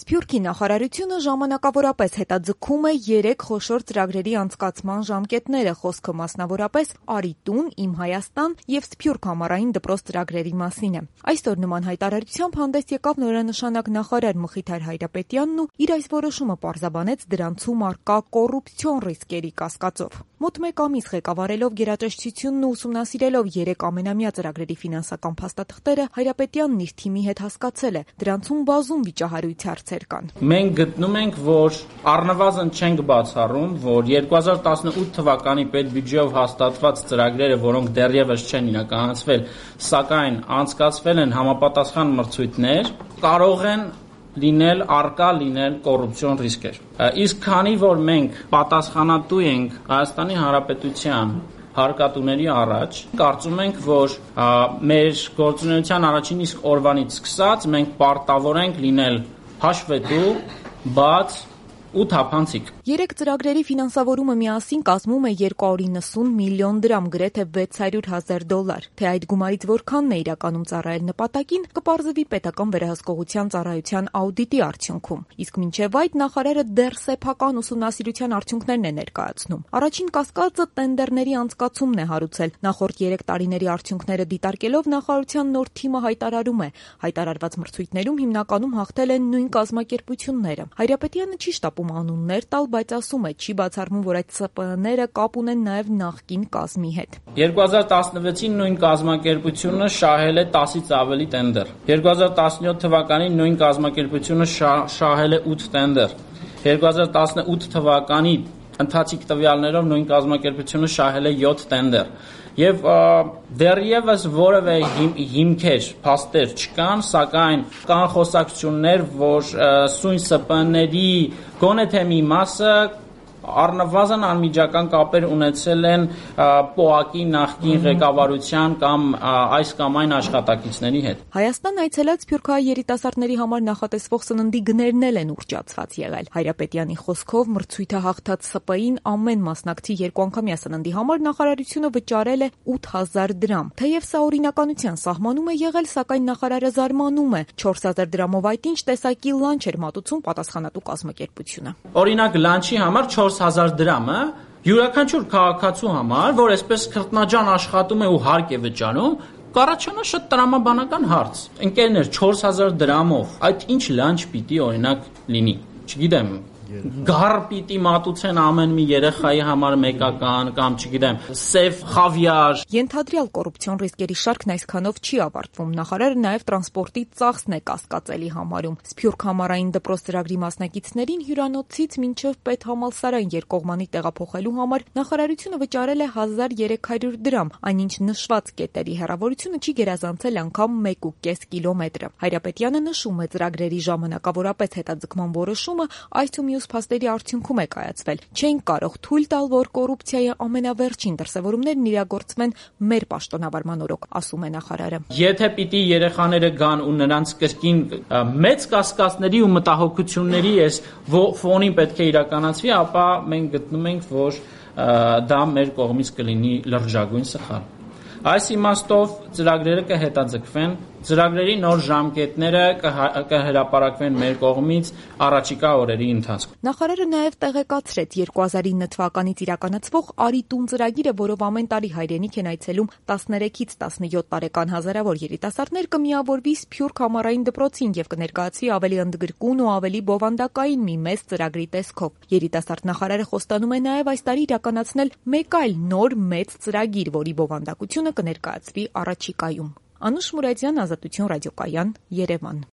Սփյուռքի նախարարությունը ժամանակավորապես հետաձգում է 3 խոշոր ծրագրերի անցկացման ժամկետները, խոսքը մասնավորապես «Արի տուն», «Իմ Հայաստան» եւ «Սփյուռք ամառային դպրոց» ծրագրերի մասին է։ Այսօր նման հայտարարությամբ հանդես եկավ նորանշանակ նախարար Մխիթար Հայրապետյանն ու իր այս որոշումը պարզաբանեց դրանցում առկա կոռուպցիոն ռիսկերի կասկածով։ Մոտ 1 ամիս ղեկավարելով գերատեսչությունն ու ուսումնասիրելով 3 ամենամյա ծրագրերի ֆինանսական փաստաթղթերը, Հայրապետյանն իր թիմի հետ հասկացել է, դրանցում բազում վիճահարույց հարցեր կան։ Մենք գտնում ենք, որ առնվազն չենք բացառում, որ 2018 թվականի պետբյուջեով հաստատված ծրագրերը, որոնք դեռևս չեն իրականացվել, սակայն անցկացվել են համապատասխան մրցույթներ, կարող են առկա լինել կոռուպցիոն ռիսկեր։ Իսկ քանի որ մենք պատասխանատու ենք Հայաստանի Հանրապետության հարկատուների առաջ, կարծում ենք, որ մեր գործունեության առաջին իսկ օրվանից սկսած մենք պարտավոր ենք լինել հաշվետու, բաց ու թափանցիկ։ 3 ծրագրերի ֆինանսավորումը միասին կազմում է 290 միլիոն դրամ, գրեթե $600,000։ Թե այդ գումարից որքանն է իրականում ծառայել նպատակին, կպարզվի պետական վերահսկողության ծառայության աուդիտի արդյունքում։ Իսկ մինչև այդ նախարարը դեռ սեփական ուսումնասիրության արդյունքներն է ներկայացնում։ Առաջին կասկածը տենդերների անցկացումն է հարուցել։ Նախորդ 3 տարիների արդյունքները դիտարկելով նախարարության նոր թիմը հայտարարում է, հայտարարված մրցույթներում հիմնականում հաղթել են նույն կազմակերպությունները։ Հայրապետյանը չի շտապում անուններ տալ, բայց ասում է, չի բացառվում, որ այդ ՍՊԸ-ները կապ ունեն նաև նախկին կազմի հետ։ 2016-ին նույն կազմակերպությունը շահել է 10-ից ավելի տենդեր։ 2017 թվականին նույն կազմակերպությունը շահել է 8 տենդեր։ 2018 թվականի ընթացիկ տվյալներով նույն կազմակերպությունը շահել է 7 տենդեր։ Եվ դեռևս որևէ հիմքեր, փաստեր չկան, սակայն կան խոսակցություններ, որ սույն ՍՊԸ-ների գոնե թե մի մասը առնվազն անմիջական կապեր ունեցել են ՊՕԱԿ-ի նախկին ղեկավարության կամ այս կամ այն աշխատակիցների հետ։ Հայաստան այցելած սփյուռքահայ երիտասարդների համար նախատեսվող սննդի գներն են ուռճացված եղել։ Հայրապետյանի խոսքով մրցույթը հաղթած ՍՊԸ-ին ամեն մասնակցի 2 անգամյա սննդի համար նախարարությունը վճարել է 8,000 դրամ։ Թեև սա օրինականության սահմանում է եղել, սակայն նախարարը զարմանում է 4,000 դրամով այդ ինչ տեսակի լանչ էր մատուցում պատասխանատու կազմակերպությունը։ Օրինակ լանչի համար 4,000 դրամը յուրաքանչյուր քաղաքացու համար, որ այսպես քրտնաջան աշխատում է ու հարկ է վճարում, կառաջանա շատ տրամաբանական հարց։ Ընկերներ, 4,000 դրամով այդ ինչ լանչ պիտի օրինակ լինի։ Չգիտեմ, գառ պիտի մատուցեն ամեն մի երեխայի համար մեկական կամ չգիտեմ, սև խավիար։ Ենթադրյալ կոռուպցիոն ռիսկերի շարքն այսքանով չի ավարտվում։ Նախարարը նաև տրանսպորտի ծախսն է կասկածելի համարում։ Սփյուռք ամառային դպրոց ծրագրի մասնակիցներին հյուրանոցից մինչև պետհամալսարան երկկողմանի տեղափոխելու համար նախարարությունը վճարել է 1,300 դրամ, այնինչ նշված կետերի հեռավորությունը չի գերազանցել անգամ 1,5 կիլոմետրը։ Հայրապետյանը նշում է, ծրագրերի ժամանակավորապես հետաձգման որոշումը այս ու մյուս փաստերի արդյունքում է կայացվել։ Չենք կարող թույլ տալ, որ կոռուպցիայի ամենավերջին դրսևորումներն իրագործվեն մեր պաշտոնավարման օրոք, ասում է նախարարը։ Եթե պիտի երեխաները գան ու նրանց կրկին մեծ կասկածների ու մտահոգությունների այս ֆոնին պետք է իրականացվի, ապա մենք գտնում ենք, որ դա մեր կողմից կլինի լրջագույն սխալ։ Այս իմաստով ծրագրերը կհետաձգվեն, ծրագրերի նոր ժամկետները կհրապարակվեն մեր կողմից առաջիկա օրերի ընթացքում։ Նախարարը նաև տեղեկացրեց 2009 թվականից իրականացվող «Արի տուն» ծրագիրը, որով ամեն տարի հայրենիք են այցելում 13-ից 17 տարեկան հազարավոր երիտասարդներ, կմիավորվի Սփյուռք ամառային դպրոցին եւ կներկայացվի ավելի ընդգրկուն ու ավելի բովանդակային մի մեծ ծրագրի տեսքով։ Երիտասարդ նախարարը խոստանում է նաև այս տարի իրականացնել մեկ այլ նոր մեծ ծրագիր, որի բովանդակությունը կներկայացվի առաջիկայում։ Անուշ Մուրադյան, Ազատություն ռադիոկայան, Երևան։